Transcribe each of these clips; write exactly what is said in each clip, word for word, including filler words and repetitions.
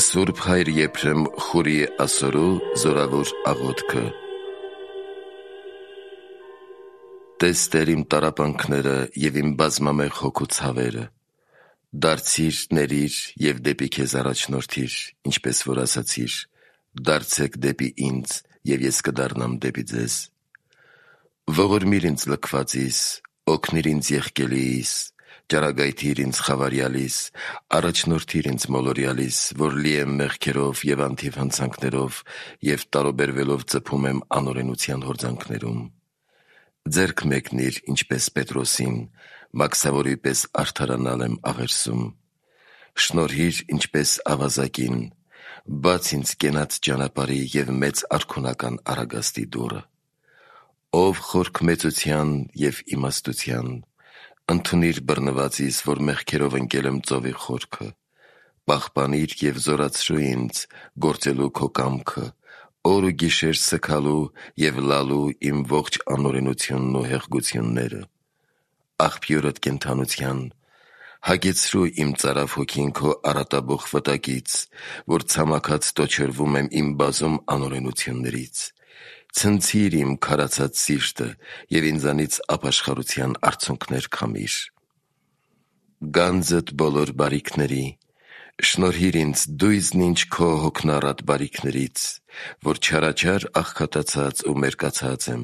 Սուրբ Հայր Եփրեմ Խուրի ասորու զորավոր աղոթքը։ Տես Տեր իմ տառապանքները և իմ բազմամեղ հոգու ցավերը, դարձիր, ների՛ր և դեպի քեզ առաջնորդիր, ինչպես որ ասացիր, դարձեք դեպի ինձ, և ես կդառնամ դեպի ձեզ։ Ողորմիր ինձ լքվածիս, օգնիր ինձ եղկելիիս, ճարագայթիր ինձ խավարյալիս, առաջնորդիր ինձ մոլորյալիս, որ լի եմ մեղքերով և անթիվ հանցանքներով և տարուբերվելով ծփում եմ անօրենության հորձանքներում։ Ձեռք մեկնիր, ինչպես Պետրոսին, մաքսավորի պես արդարանալ եմ աղերսում։ Շնորհիր, ինչպես ավազակին, բաց ինձ կենաց ճանապարհի և մեծ արքունական առագաստի դուռը։ Ով խորք մեծության և իմաստության, ընդունիր բռնվածիս, որ մեղքերով ընկել եմ ծովի խորքը, պահպանիր և զորացրու ինձ գործելու քո կամքը, օր ու գիշեր սգալու և լալու իմ ողջ անօրենությունն ու հեղգությունները։ Աղբյուրդ կենդանության, հագեցրու իմ ծարավ հոգին քո արատաբող վտակից, որ ցամաքած տոչրվում եմ իմ բազում անօրենություններից։ Ցնցիր իմ քարացած սիրտը և ինձանից ապաշխարության արցունքներ քամիր։ Գանձդ բոլոր բարիքների, շնորհիր ինձ դույզն ինչ քո հոգնառատ բարիքներից, որ չարաչար աղքատացած ու մերկացած եմ,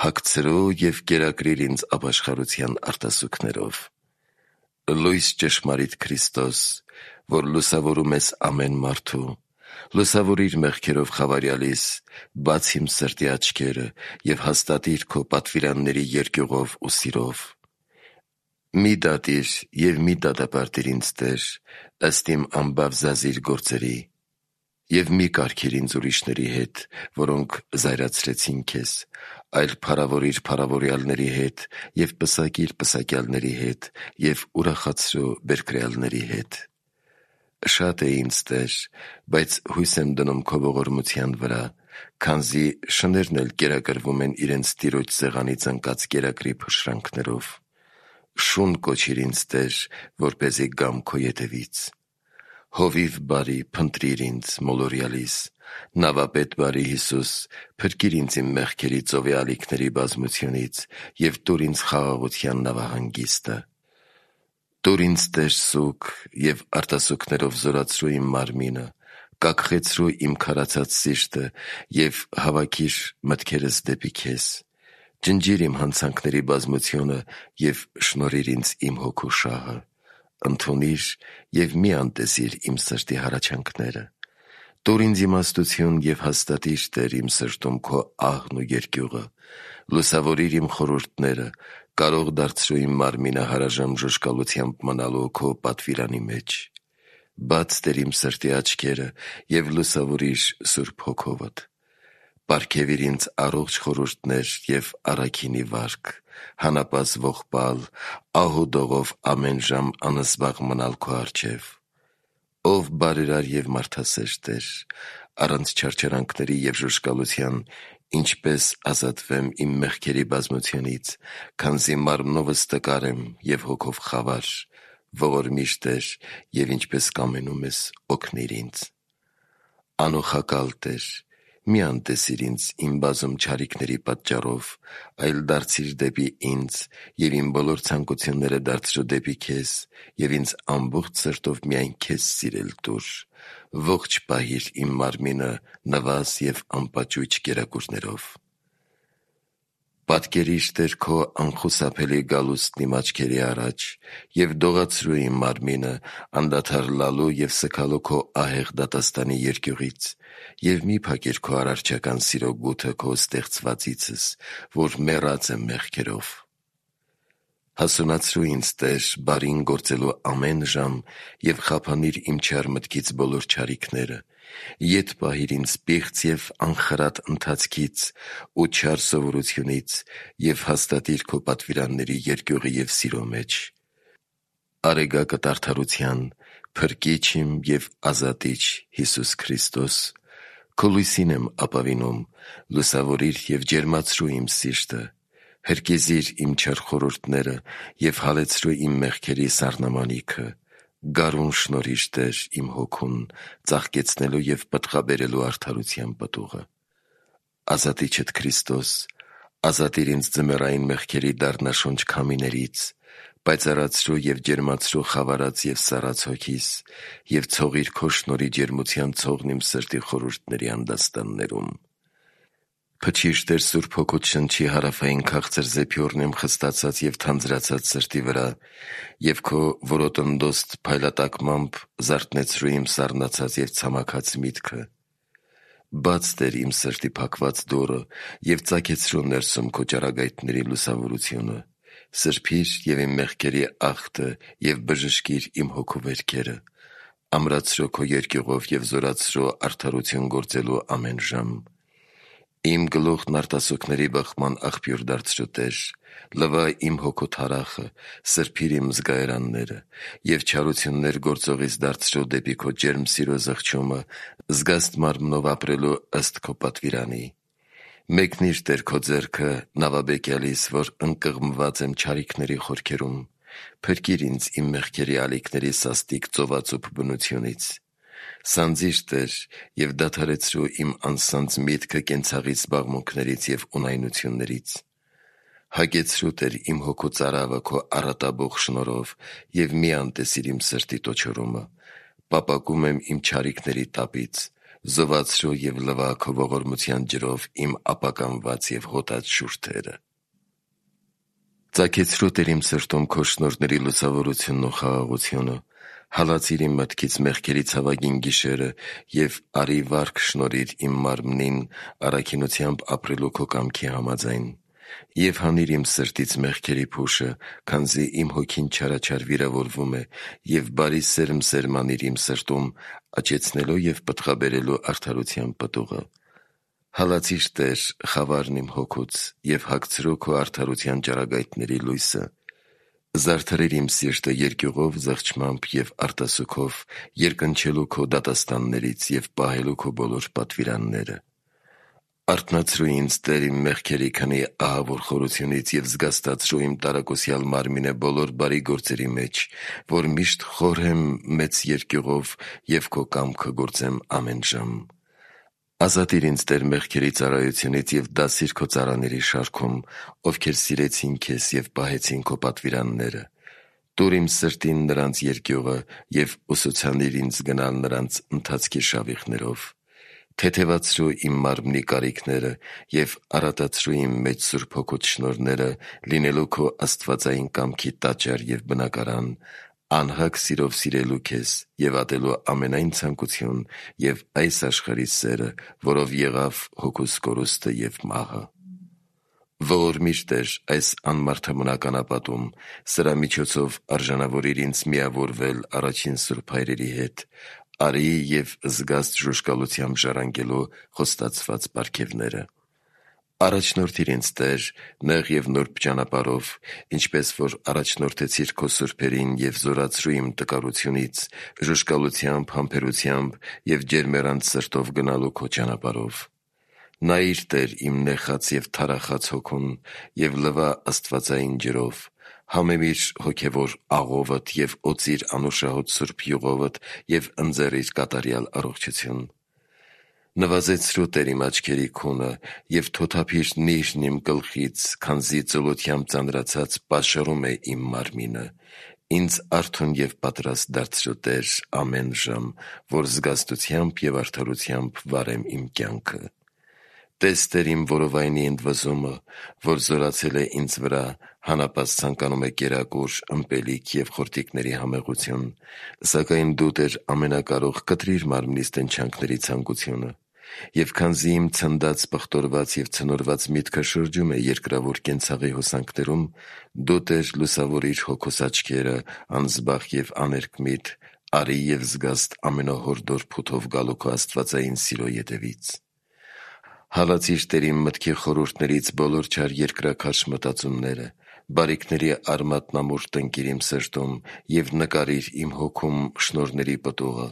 հագցրու և կերակրիր ինձ ապաշխարության արտասուքներով։ Լույս ճշմարիտ Քրիստոս, որ լուսավորում ես ամեն մարդու, լուսավորիր մեղքերով խավարյալիս, բաց իմ սրտի աչքերը և հաստատիր քո պատվիրանների երկյուղով ու սիրով։ Մի դատիր և մի դատապարտիր ինձ, Տեր, ըստ իմ անբաղ գործերի, և մի կարգիր ինձ ուրիշների հետ, որոնք զայրացրեցին քեզ, այլ փառավորիր փառավորյալների հետ և պսակիր պսակյալների հետ և ուրախացրու բերկրյալների հետ։ Շատ է ինձ, Տեր, բայց հույս եմ դնում քո ողորմության վրա, քանզի շներն էլ կերակրվում են իրենց տիրոջ սեղանից ընկած կերակրի փշրանքներով։ Շուն կոչիր ինձ, Տեր, որպեսզի գամ քո ետևից։ Հովիվ բարի, փնտրիր ինձ մոլորյալիս, նավապետ բարի Հիսուս, փրկիր ինձ իմ մեղքերի ծովի ալիքների բազմությունից և տուր ինձ խաղաղության նավահանգիստը։ Տուր ինձ, Տեր, սուգ և արտասուքներով զորացրու իմ մարմինը, կաքխեցրու իմ քարացած սիրտը և հավաքիր մտքերս դեպի քեզ։ Ջնջիր իմ հանցանքների բազմությունը և շնորհիր ինձ իմ հոգու շահը։ Ընդունիր և մի անտեսիր իմ սրտի հառաչանքները։ Տուր ինձ իմաստություն և հաստատիր, Տեր, իմ սրտում քո ահն ու երկյուղը։ Լուսավորիր իմ խորհուրդները, կարող դարձրու իմ մարմինը հարաժամ ժուժկալությամբ մնալու քո պատվիրանի մեջ։ Բաց Տեր իմ սրտի աչքերը և լուսավորիր Սուրբ Հոգովդ։ Պարգևիր ինձ առողջ խորհուրդներ և առաքինի վարք, հանապազն ողբալ, ահուդողով ամեն ժամ անզբաղ մնալ քո առջև։ Ով բարերար և մարդասեր Տեր, առանց չարչարանքների և ժուժկալության ինչպես ազատվեմ իմ մեղքերի բազմությունից, քանզի մարմնովս տկար եմ և հոգով խավար, ողորմիր Տեր և ինչպես կամենում ես, օգնիր ինձ։ Անօխակալ Տեր, մի անտեսիր ինձ իմ բազում չարիքների պատճառով, այլ դարձիր դեպի ինձ և իմ բոլոր ցանկությունները դարձրու դեպի քեզ և ինձ ամբողջ սրտով միայն քեզ սիրել տուր։ Ողջ պահիր իմ մարմինը նվազ և անպաճույճ կերակուրներով։ Պատկերիր, Տեր, քո անխուսափելի գալուստն իմ աչքերի առաջ և դողացրու իմ մարմինը անդադար լալու և սգալու քո ահեղ դատաստանի երկյուղից և մի փակիր քո արարչական սիրո գութը քո ստեղծվածիցս, որ մեռած եմ մեղքերով։ Հասունացրու ինձ, Տեր, բարին գործելու ամեն ժամ և խափանիր իմ չար մտքից բոլոր չարիքները, ետ պահիր ինձ պիղծ և անխրատ ընթացքից ու չար սովորությունից և հաստատիր քո պատվիրանների երկյուղի և սիրո մեջ։ Արեգակդ արդարության, Փրկիչ իմ և ազատիչ Հիսուս Քրիստոս, քո լույսին եմ ապավինում, լուսավորիր և ջերմացրու իմ սիրտը, հրկիզիր իմ չար խորհուրդները և հալեցրու իմ մեղքերի սառնամանիքը, Գարուն շնորհիր Տեր իմ հոգուն, ծաղկեցնելու և պտղաբերելու արդարության պտուղը։ Ազատիչդ Քրիստոս, ազատիր ինձ ձմեռային մեղքերի դառնաշոնչ քամիներից, պայծառացրու և ջերմացրու խավարած և սառած հոգիս և ցողիր քո շնորհի ջերմության ցողն իմ սրտի խորհուրդների անդաստաններում։ Փչիր Տեր Սուրբ Հոգուդ շնչի հարավային քաղցր զեփյորն իմ խստացած և թանձրացած սրտի վրա և քո որոտնդոստ փայլատակմամբ զարթնեցրու իմ սառնացած և ցամաքած միտքը։ Բաց Տեր իմ սրտի փակված դուռը և ծագեցրու ներսում քո ճառագայթների լուսավորությունը։ Սրբիր և իմ մեղքերի աղբը և բժշկիր իմ հոգու վերքերը։ Ամրացրու քո երկյուղով և զորացրու արդարություն գործելու ամեն ժամ։ Իմ գլուխն արտասուքների բխման աղբյուր դարձրու Տեր։ Լվա իմ հոգու թարախը, սրբիր իմ զգայարանները և չարություններ գործողից դարձրու դեպի քո ջերմ սիրո զղջումը, զգաստ մարմնով ապրելու ըստ քո պատվիրանի։ Մեկնիր Տեր քո ձեռքը նավաբեկյալիս, որ ընկղմված եմ չարիքների խորքերում։ Փրկիր ինձ իմ մեղքերի ալիքների սաստիկ ծովածուփ բնությունից։ Սանձիր Տեր և դադարեցրու իմ անսանձ միտքը կենցաղի զբաղմունքներից և ունայնություններից։ Հագեցրու Տեր իմ հոգու ծարավը քո առատաբող շնորհով և մի անտեսիր իմ սրտի տոչորումը։ Պապակում եմ իմ չարիքների տապից։ Զովացրու և լվա քո ողորմության ջրով իմ ապականված և հոտած շուրթերը։ Ծագեցրու Տեր իմ սրտում քո շնորհների լուսավորությունն ու խաղաղությունը։ Հալածիր իմ մտքից մեղքերի ցավագին գիշերը և արի վարք շնորհիր իմ մարմնին առաքինությամբ ապրելու քո կամքի համաձայն։ Եվ հանիր իմ սրտից մեղքերի փուշը, քանզի իմ հոգին չարաչար վիրավորվում է, և բարի սերմ սերմանիր իմ սրտում, աճեցնելու և պտղաբերելու արդարության պտուղը։ Հալածիր Տեր խավարն իմ հոգուց և հագցրու քո արդարության ճառագայթների լույսը։ Զարդարիր իմ սիրտը երկյուղով, զղջմամբ և արտասուքով, երկնչելու քո դատաստաններից և պահելու քո բոլոր պատվիրանները։ Արթնացրու ինձ Տեր իմ մեղքերի քնի ահավոր խորությունից և զգաստացրու իմ տարակուսյալ մարմինը բոլոր բարի գործերի մեջ, որ միշտ խորհեմ մեծ երկյուղով և քո կամքը գործեմ ամեն ժամ։ Ազատիր ինձ Տեր մեղքերի ծառայությունից և դասիր քո ծառաների շարքում, ովքեր սիրեցին քեզ և պահեցին քո պատվիրանները։ Տուր իմ սրտին նրանց երկյուղը և ուսուցանիր ինձ գնալ նրանց ընթացքի շավիղներով։ Թեթևացրու իմ մարմնի կարիքները և առատացրու իմ մեջ Սուրբ Հոգուդ շնորհները, լինելու քո աստվածային կամքի տաճար և բնակարան, անհագ սիրով սիրելու քեզ և ատելու ամենայն ցանկություն և այս աշխարհի սերը, որով եղավ հոգուս կորուստը և մահը։ Ողորմիր Տեր այս անմարդաբնական ապատում, սրա միջոցով արժանավորիր ինձ միավորվել առաջին սուրբ հայրերի հետ, արի և զգաստ ժուժկալությամբ ժառանգելու խոստացված պարգևները։ Առաջնորդիր ինձ Տեր նեղ և նուրբ ճանապարհով, ինչպես որ առաջնորդեցիր քո սուրբերին և զորացրու իմ տկարությունից, ժուժկալությամբ, համբերությամբ և ջերմեռանդ սրտով գնալու քո ճանապարհով։ Նայիր Տեր իմ նեխած և թարախած հոգուն և լվա աստվածային ջրով։ Համեմիր հոգևոր աղովդ և օծիր անուշահոտ սուրբ յուղովդ և ընձեռիր կատարյալ առողջություն։ Նվազեցրու Տեր իմ աչքերի քունը և թոթափիր նիրհն իմ գլխից, քանզի ծլությամբ ծանրացած պաշարում է իմ մարմինը։ Ինձ արթուն և պատրաստ դարձրու Տեր ամեն ժամ, որ զգաստությամբ և արդարությամբ վարեմ իմ կյանքը։ Տես Տեր իմ որովայնի ընդվզումը, որ զորացել է ինձ վրա, հանապազտ ցանկանում է կերակուր, ըմպելիք և խորտիկների համեղություն, սակայն Դու Տեր ամենակարող, կտրիր մարմնիս տնչանքների ցանկությունը։ Եվ քանզի իմ ցնդած, պղտորված և ցնորված միտքը շրջում է երկրավոր կենցաղի հոսանքներում, Դու Տեր լուսավորիր հոգուս աչքերը, անզբաղ և աներկմիտ, արի և զգաստ ամենահորդոր փութով գալու քո աստվածային սիրո ետևից։ Հալածիր Տեր իմ մտքի խորհուրդներից բոլոր չար երկրաքարշ մտածումները, բարիքների արմատնամուր տնկիր իմ սրտում և նկարիր իմ հոգում շնորհների պտուղը։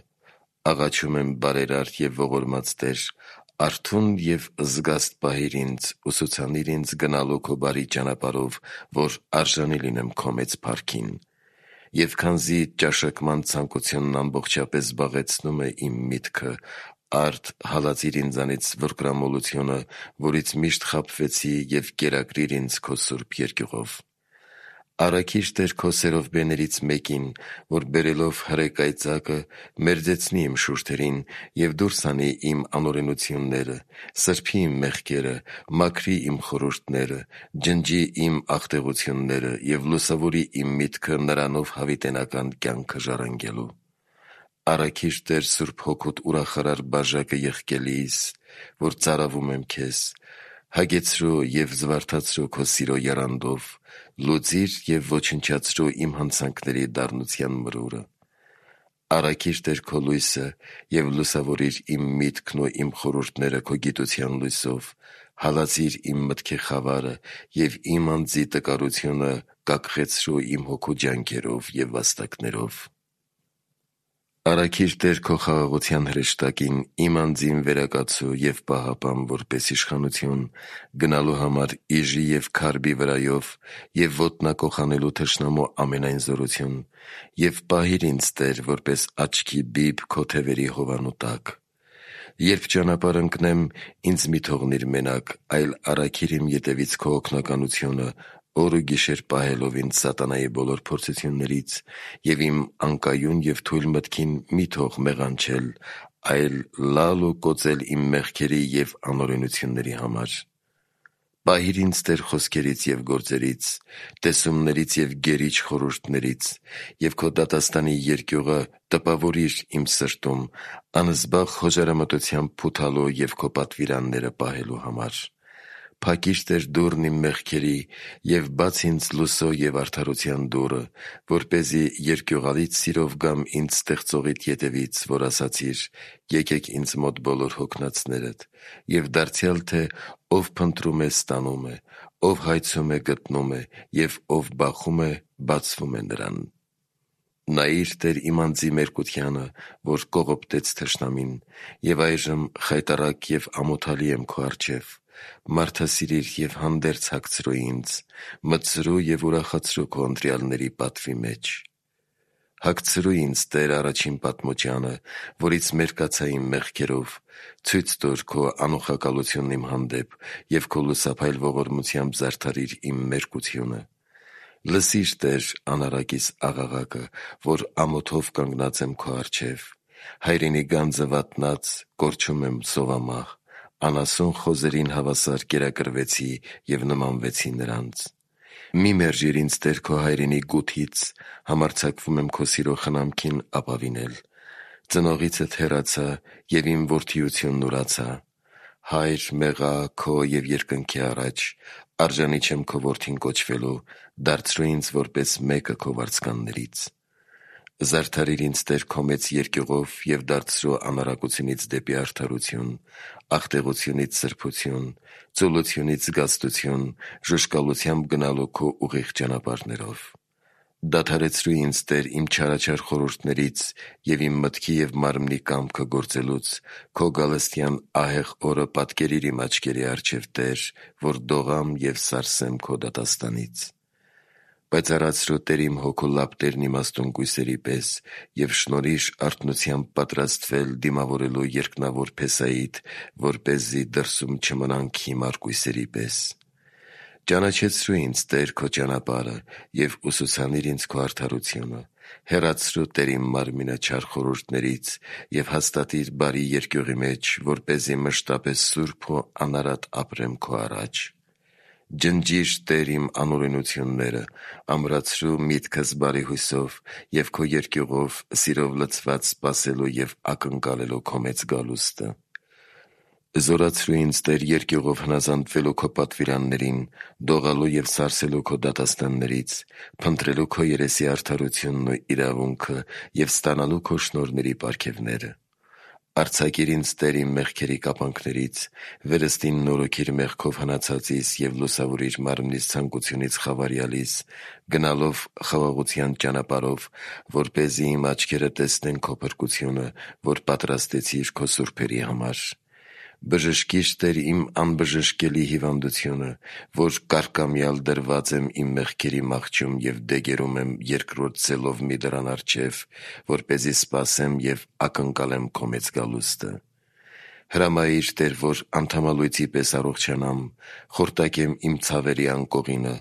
Աղաչում եմ բարերար և ողորմած Տեր, արթուն և զգաստ պահիր ինձ, ուսուցանիր ինձ գնալու քո բարի ճանապարհով, որ արժանի լինեմ քո մեծ փառքին։ Եվ քանզի ճաշակման ցանկությունն ամբողջապես զբաղեցնում է իմ միտքը, արդ հալածիր ինձանից վրկրամոլությունը, որից միշտ խաբվեցի, և կերակրիր ինձ քո սուրբ երկյուղով։ Առաքիր Տեր քո սերովբեներից մեկին, որ բերելով հրե կայծակը մերձեցնի իմ շուրթերին և դուրս հանի իմ անօրենությունները, սրբի իմ մեղքերը, մաքրի իմ խորհուրդները, ջնջի իմ աղտեղությունները և լուսավորի իմ միտքը նրանով հավիտենական կյանքը ժառանգելու։ Առաքիր Տեր Սուրբ Հոգուդ ուրախարար բաժակը եղկելիս, որ ծարավում եմ քեզ, հագեցրու և զվարթացրու քո սիրո եռանդով, լուծիր և ոչնչացրու իմ հանցանքների դառնության մրուրը։ Առաքիր Տեր քո լույսը և լուսավորիր իմ միտքն ու իմ խորհուրդները քո գիտության լույսով, հալածիր իմ մտքի խավարը և իմ անձի տկարությունը կաքխեցրու իմ հոգու ջանքերով և վաստակներով։ Առաքիր Տեր քո խաղաղության հրեշտակին իմ անձին վերակացու և պահապան որպես իշխանություն, գնալու համար իժի և քարբի վրայով և ոտնակոխ անելու թշնամու ամենայն զորություն, և պահիր ինձ Տեր որպես աչքի բիբ քո թևերի հովանու տակ։ Երբ ճանապարհ ընկնեմ, ինձ մի թողնիր մենակ, այլ առաքիր իմ ետևից քո օգնականությունը, օր ու գիշեր պահելով ինձ սատանայի բոլոր փորձություններից, և իմ անկայուն և թույլ մտքին մի թող մեղանչել, այլ լալ ու կոծել իմ մեղքերի և անօրենությունների համար։ Պահիր ինձ Տեր խոսքերից և գործերից, տեսումներից և գերիչ խորհուրդներից, և քո դատաստանի երկյուղը տպավորիր իմ սրտում, անզբաղ խոժարամտությամբ փութալու և քո պատվիրանները պահելու համար։ Փակի՛ր Տեր դուռն իմ մեղքերի և բաց ինձ լույսո և արդարության դուռը, որպեսզի երկյուղալից սիրով գամ ինձ ստեղծողիդ ետևից, որ ասացիր. «Եկեք ինձ մոտ բոլոր հոգնածներդ», և դարձյալ թե «Ով փնտրում է, ստանում է, ով հայցում է, գտնում է, և ով բախում է, բացվում է նրան»։ Նայիր Տեր իմ անձի մերկությանը, որ կողոպտեց թշնամին, և այժմ խայտառակ և ամոթալի եմ քո առջև։ Մարդասիրիր և հանդերձ հագցրու ինձ, մտցրու և ուրախացրու քո ընտրյալների պատվի մեջ։ Հագցրու ինձ Տեր առաջին պատմուճանը, որից մերկացա իմ մեղքերով, ցույց տուր քո անուխակալությունն իմ հանդեպ և քո լուսափայլ ողորմությամբ զարդարիր իմ մերկությունը։ Լսի՛ր Տեր անառակիս աղաղակը, որ ամոթով կանգնած եմ քո առջև։ Հայրենի գանձը վատնած կորչում եմ սովամահ, անասուն խոզերին հավասար կերակրվեցի և նմանվեցի նրանց։ Մի՛ մերժիր ինձ Տեր քո հայրենի գութից, համարձակվում եմ քո սիրո խնամքին ապավինել։ Ծնողիցդ հեռացա, և իմ որդիությունն ուրացա։ Հա՛յր, մեղա քո և երկնքի առաջ, արժանի չեմ քո որդին կոչվելու, դարձրու ինձ որպես մեկը քո վարձկաններից։ Զարդարիր ինձ Տեր քո մեծ երկյուղով և դարձրու անառակությունից դեպի արդարություն, աղտեղությունից սրբություն, ծուլությունից զգաստություն, ժուժկալությամբ գնալու քո ուղիղ ճանապարհներով։ Դադարեցրու ինձ Տեր իմ չարաչար խորհուրդներից և իմ մտքի և մարմնի կամքը գործելուց, քո գալստյան ահեղ օրը պատկերիր իմ աչքերի առջև Տեր, որ դողամ և սարսեմ քո դատաստանից։ Պայծառացրու Տեր իմ հոգու լապտերն իմաստուն կույսերի պես և շնորհիր արթնությամբ պատրաստվել դիմավորելու երկնավոր փեսայիդ, որպեսզի դրսում չմնանք հիմար կույսերի պես։ Ճանաչեցրու ինձ Տեր քո ճանապարհը և ուսուցանիր ինձ քո արդարությունը։ Հեռացրու Տեր իմ մարմինը չար խորհուրդներից և հաստատիր բարի երկյուղի մեջ, որպեսզի մշտապես սուրբ ու անարատ ապրեմ քո առաջ։ Ջնջի՛ր Տեր իմ անօրենությունները, ամրացրու միտքս բարի հույսով և քո երկյուղով սիրով լցված սպասելու և ակնկալելու քո մեծ գալուստը։ Զորացրու ինձ Տեր երկյուղով հնազանդվելու քո պատվիրաններին, դողալու և սարսելու քո դատաստաններից, փնտրելու քո երեսի արդարությունն ու իրավունքը և ստանալու քո շնորհների պարգևները։ Արձակիր ինձ Տեր իմ մեղքերի կապանքներից, վերստին նորոգիր մեղքով հնացածիս և լուսավորիր մարմնիս ցանկությունից խավարյալիս, գնալով խաղաղության ճանապարհով, որպեսզի իմ աչքերը տեսնեն քո փրկությունը, որ պատրաստեցիր քո սուրբերի համար։ Բժշկիր Տեր իմ անբժշկելի հիվանդությունը, որ կարկամյալ դրված եմ իմ մեղքերի մահճում և դեգերում եմ երկրորդ ձելով մի դռան առջև, որպեսզի սպասեմ և ակնկալեմ քո մեծ գալուստը։ Հրամայիր Տեր, որ անդամալույցի պես առողջանամ, խորտակեմ իմ ցավերի անկողինը,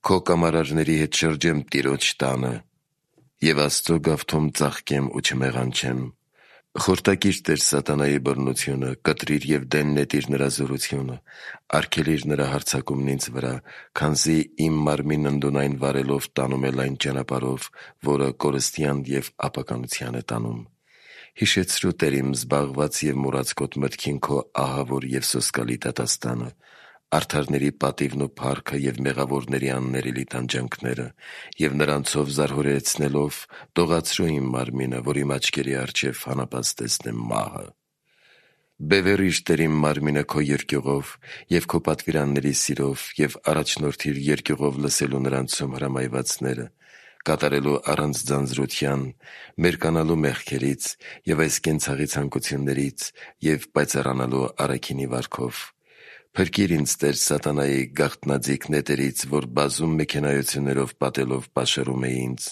քո կամարարների հետ շրջեմ Տիրոջ տանը և Աստծո գավթում ծաղկեմ ու չմեղանչեմ։ Խորտակիր Տեր սատանայի բռնությունը, կտրիր և դեն նետիր նրա զորությունը, արգելիր նրա հարձակումն ինձ վրա, քանզի իմ մարմինն ընդունայն վարելով տանում է լայն ճանապարհով, որը կորստյան և ապականության է տանում։ Հիշեցրու Տեր իմ զբաղված և մոռացկոտ մտքին քո ահավոր և սոսկալի դատաստանը, արդարների պատիվն ու փառքը և մեղավորների աններելի տանջանքները, և նրանցով զարհուրեցնելով դողացրու իմ մարմինը, որ իմ աչքերի առջև հանապած տեսնեմ մահը։ Բևեռիր Տեր իմ մարմինը քո երկյուղով և քո պատվիրանների սիրով և առաջնորդիր երկյուղով լսելու նրանցում հրամայվածները, կատարելու առանց ձանձրության, մերկանալու մեղքերից և այս կենցաղի ցանկություններից և պայծառանալու առաքինի վարքով։ Փրկիր ինձ Տեր սատանայի գաղտնաձիգ նետերից, որ բազում մեքենայություններով պատելով պաշարում է ինձ,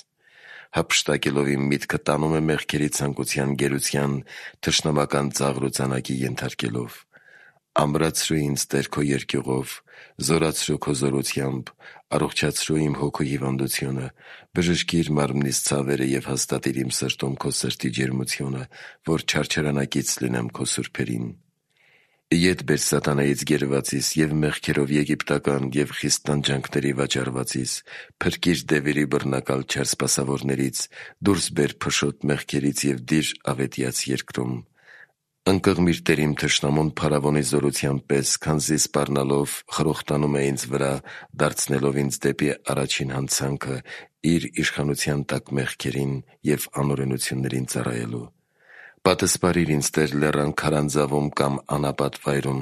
հափշտակելով իմ միտքը տանում է մեղքերի ցանկության գերության թշնամական ծաղր ու ծանակի ենթարկելով։ Ամրացրու ինձ Տեր քո երկյուղով, զորացրու քո զորությամբ, առողջացրու իմ հոգու հիվանդությունը, բժշկիր մարմնիս ցավերը և հաստատիր իմ սրտում քո սրտի ջերմությունը, որ չարչարանակից լինեմ քո սուրբերին։ Ետ բեր սատանայից գերվածիս և մեղքերով եգիպտական և խիստ տանջանքների վաճառվածիս, փրկիր դևերի բռնակալ չար սպասավորներից, դուրս բեր փշոտ մեղքերից և դիր ավետյաց երկրում։ Ընկղմիր Տեր իմ թշնամուն փարավոնի զորության պես, քանզի սպառնալով խրոխտանում է ինձ վրա, դարձնելով ինձ դեպի առաջին հանցանքը իր իշխանության տակ մեղքերին և անօրենություններին ծառայելու։ Պատսպարիր ինձ Տեր լեռան քարանձավում կամ անապատ վայրում,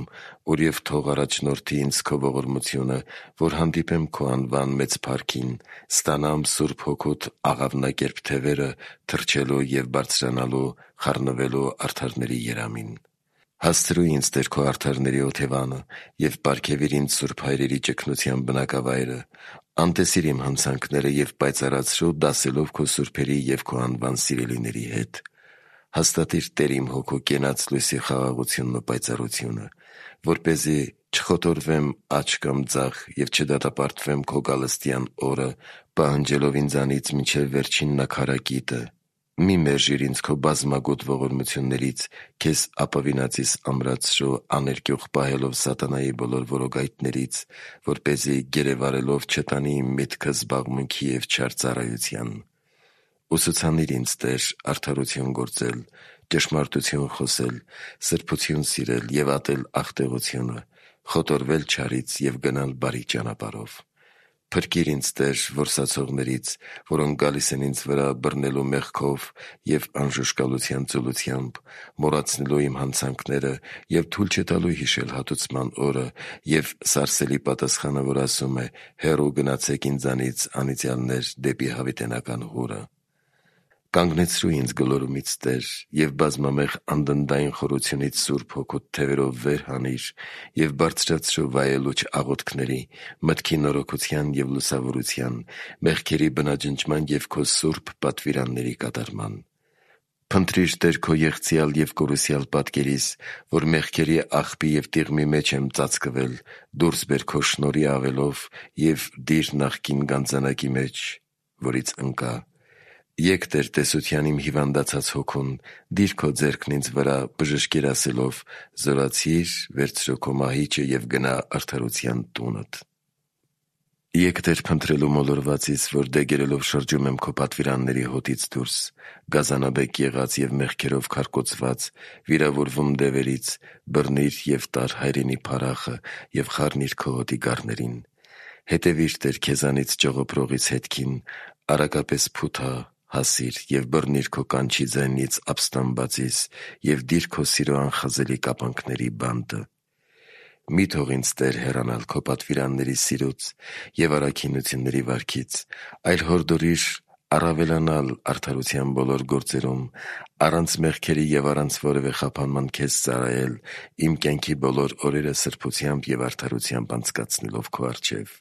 ուր և թող առաջնորդի ինձ քո ողորմությունը, որ հանդիպեմ քո անվան մեծ փառքին, ստանամ Սուրբ Հոգուդ աղավնակերպ թևերը թռչելու և բարձրանալու, խառնվելու արդարների երամին։ Հասցրու ինձ Տեր քո արդարների օթևանը և պարգևիր ինձ սուրբ հայրերի ճգնության բնակավայրը։ Անտեսիր իմ հանցանքները և պայծառացրու դասելով քո սուրբերի և քո անվան սիրելիների հետ։ Հաստատիր Տեր իմ հոգու կենաց լույսի խաղաղությունն ու պայծառությունը, որպեսզի չխոտորվեմ աջ կամ ձախ և չդատապարտվեմ քո գալստյան օրը, պահանջելով ինձանից մինչև վերջին նաքարակիտը։ Մի մերժիր ինձ քո բազմագութ ողորմություններից, քեզ ապավինածիս ամրացրու, աներկյուղ պահելով սատանայի բոլոր որոգայթներից, որպեսզի գերեվարելով չտանի իմ միտքը զբաղմունքի և չար ծառայության։ Ուսուցանիր ինձ Տեր արդարություն գործել, ճշմարտություն խոսել, սրբություն սիրել և ատել աղտեղությունը, խոտորվել չարից և գնալ բարի ճանապարհով։ Փրկիր ինձ Տեր որսացողներից, որոնք գալիս են ինձ վրա բռնելու մեղքով և անժուշկալության ծուլությամբ, մոռացնելու իմ հանցանքները և թույլ չտալու հիշել հատուցման օրը և սարսելի պատասխանը, որ ասում է. «Հեռու գնացեք ինձանից անիծյալներ դեպի հավիտենական հորը»։ Կանգնեցրու ինձ գլորումից Տեր և բազմամեղ անդնդային խորությունից Սուրբ Հոգուդ թևերով վեր հանիր և բարձրացրու վայելուչ աղոթքների, մտքի նորոգության և լուսավորության, մեղքերի բնաջնջման և քո սուրբ պատվիրանների կատարման։ Փնտրիր Տեր քո եղծյալ և կորուսյալ պատկերիս, որ մեղքերի աղբի և տիղմի մեջ եմ ծածկվել, դուրս բեր քո շնորհի ավելով և դիր նախկին գանձանակի մեջ, որից ընկա։ Եկ Տեր տեսության իմ հիվանդացած հոգուն, դիր քո ձեռքն ինձ վրա, բժշկիր ասելով. «Զորացի՛ր, վերցրու քո մահիճը և գնա արդարության տունդ»։ Եկ Տեր փնտրելու մոլորվածիս, որ դեգերելով շրջում եմ քո պատվիրանների հոտից դուրս, գազանաբեկ եղած և մեղքերով քարկոծված, վիրավորվում դևերից, բռնիր և տար հայրենի փառախը և խառնիր քո հոտի գառներին։ Հետևի՛ր Տեր քեզանից ճողոպրողիս հետքին, արագապես փութա, հասի՛ր և բռնիր քո կանչի ձայնից ապստամբածիս և դիր քո սիրո անխազելի կապանքների բանտը։ Մի՛ թող ինձ Տեր հեռանալ քո պատվիրանների սիրուց և առաքինությունների վարքից, այլ հորդորի՛ր առավելանալ արդարության բոլոր գործերում, առանց մեղքերի և առանց որևէ խափանման քեզ ծառայել, իմ կյանքի բոլոր օրերը սրբությամբ և արդարությամբ անցկացնելով քո առջև։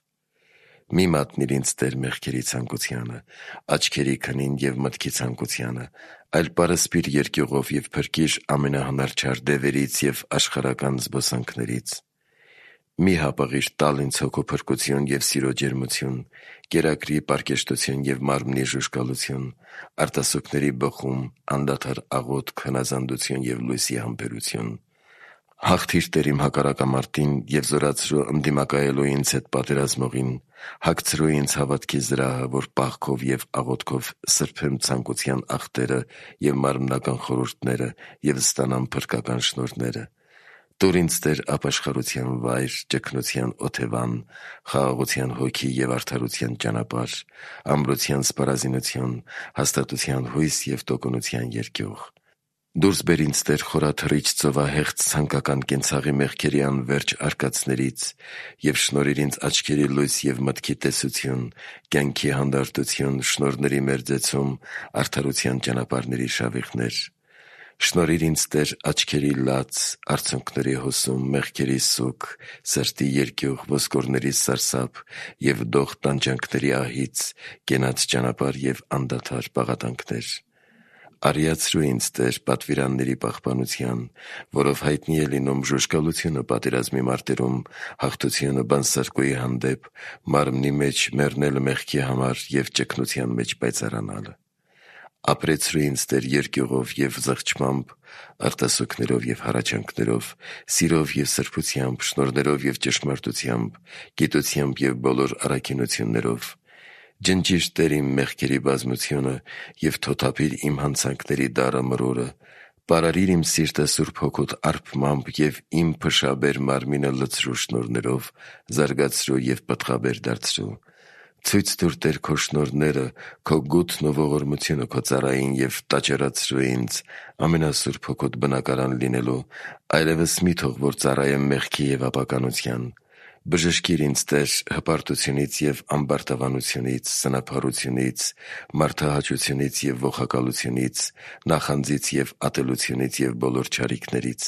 Մի մատնիր ինձ Տեր մեղքերի ցանկությանը, աչքերի քնին և մտքի ցանկությանը, այլ պարսպիր երկյուղով և փրկիր ամենահնարչար դևերից և աշխարհական զբոսանքներից։ Մի հապաղիր տալ ինձ հոգու փրկություն և սիրո ջերմություն, կերակրի պարկեշտություն և մարմնի ժուժկալություն, արտասուքների բխում, անդադար աղոթք, հնազանդություն և լույսի համբերություն։ Հաղթիր Տեր իմ հակառակամարտին և զորացրու ընդդիմակայելու ինձ հետ պատերազմողին, հագցրու ինձ հավատքի զրահը, որ պաղքով և աղոթքով սրբեմ ցանկության ախտերը և մարմնական խորհուրդները և ստանամ փրկական շնորհները։ Տուր ինձ Տեր ապաշխարության վայր, ճգնության օթևան, խաղաղության հոգի և արդարության ճանապարհ, ամրության սպառազինություն, հաստատության հույս և տոկունության երկյուղ։ Դուրս բեր ինձ Տեր խորաթռիչ ծովահեղձ ցանկական կենցաղի մեղքերի անվերջ արկածներից և շնորհիր ինձ աչքերի լույս և մտքի տեսություն, կյանքի հանդարտություն, շնորհների մերձեցում, արդարության ճանապարհների շավիղներ։ Շնորհիր ինձ Տեր աչքերի լաց, արցունքների հոսում, մեղքերի սուգ, սրտի երկյուղ, ոսկորների սարսափ և դող տանջանքների ահից, կենաց ճանապարհ և անդադար պաղատանքներ։ Արիացրու ինձ Տեր պատվիրանների պահպանության, որով հայտնի է լինում ժուժկալությունը պատերազմի մարտերում, հաղթությունը բանսարկուի հանդեպ, մարմնի մեջ մեռնելը մեղքի համար և ճգնության մեջ պայծառանալը։ Ապրեցրու ինձ Տեր երկյուղով և զղջմամբ, արտասուքներով և հառաչանքներով, սիրով և սրբությամբ, շնորհներով և ճշմարտությամբ, գիտությամբ և բոլոր առաքինություններով։ Ջնջիր Տեր իմ մեղքերի բազմությունը և թոթափիր իմ հանցանքների դառը մրորը։ Պարարիր իմ սիրտը Սուրբ Հոգուդ արբմամբ և իմ փշաբեր մարմինը լցրու շնորհներով, զարգացրու և պտղաբեր դարձրու։ Ցույց տուր Տեր քո շնորհները, քո գութն ու ողորմությունը քո ծառային և տաճարացրու ինձ ամենասուրբ Հոգուդ բնակարան լինելու, այլևս մի թող որ ծառայեմ մեղքի և ապականության։ Բժշկիր ինձ Տեր հպարտությունից և ամբարտավանությունից, սնափառությունից, մարդահաճությունից և ոխակալությունից, նախանձից և ատելությունից և բոլոր չարիքներից։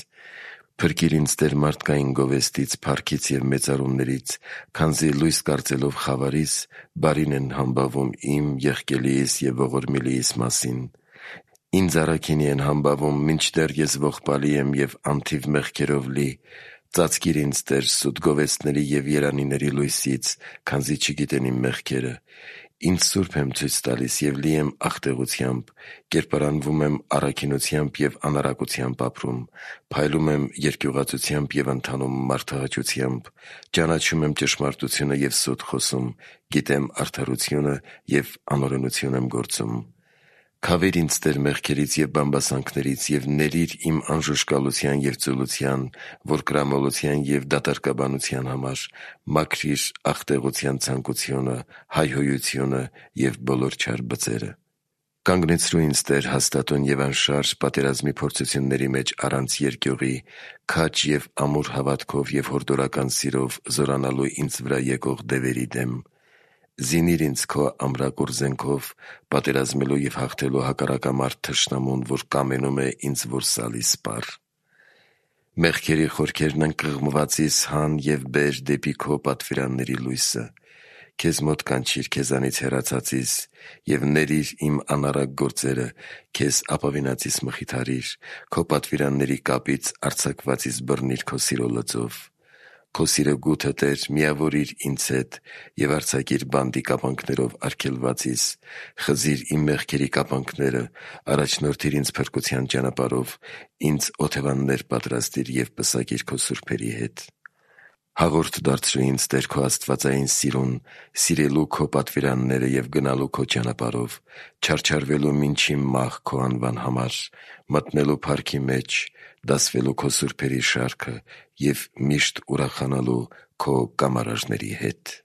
Փրկիր ինձ Տեր մարդկային գովեստից, փառքից և մեծարումներից, քանզի լույս կարծելով խավարիս, բարին են համբավում իմ, եղկելիիս և ողորմելիիս մասին։ Ինձ առաքինի են համբավում, մինչդեռ ես ողբալի եմ և անթիվ մեղքերով լի։ Ծածկիր ինձ Տեր սուտ գովեստների և երանիների լույսից, քանզի չգիտեն իմ մեղքերը։ Ինձ սուրբ եմ ցույց տալիս և լի եմ աղտեղությամբ, կերպարանվում եմ առաքինությամբ և անառակությամբ ապրում, փայլում եմ երկյուղածությամբ և ընթանում մարդահաճությամբ, ճանաչում եմ ճշմարտությունը և սուտ խոսում, գիտեմ արդարությունը և անօրենություն եմ գործում։ Քավիր ինձ Տեր մեղքերից և բամբասանքներից և ների՛ր իմ անժուժկալության և ծուլության, որկրամոլության և դատարկաբանության համար, մաքրիր աղտեղության ցանկությունը, հայհոյությունը և բոլոր չար բծերը։ Կանգնեցրու ինձ Տեր հաստատուն և անշարժ պատերազմի փորձությունների մեջ առանց երկյուղի, քաջ և ամուր հավատքով և հորդորական սիրով զորանալու ինձ վրա եկող դևերի դեմ։ Զինի՛ր ինձ քո ամրակուր զենքով, պատերազմելու և հաղթելու հակառակամարտ թշնամուն, որ կամենում է ինձ որսալի սպառ։ Մեղքերի խորքերն ընկղմվածիս հան և բեր դեպի քո պատվիրանների լույսը։ Քեզ մոտ կանչիր քեզանից հեռացածիս և ների՛ր իմ անառակ գործերը, քեզ ապավինածիս մխիթարիր, քո պատվիրանների կապից արձակվածիս բռնիր քո սիրո լծով։ Քո սիրո գութը, Տեր, միավորիր ինձ հետ և արձակիր բանտի կապանքներով արգելվածիս։ Խզի՛ր իմ մեղքերի կապանքները, առաջնորդիր ինձ փրկության ճանապարհով, ինձ օթևաններ պատրաստիր և պսակիր քո սուրբերի հետ։ Հաղորդ դարձրու ինձ Տեր քո աստվածային սիրուն, սիրելու քո պատվիրանները և գնալու քո ճանապարհով, չարչարվելու մինչին մահ քո անվան համար, մտնելու փառքի մեջ, դասվելու քո սուրբերի շարքը և միշտ ուրախանալու քո կամարաժների հետ։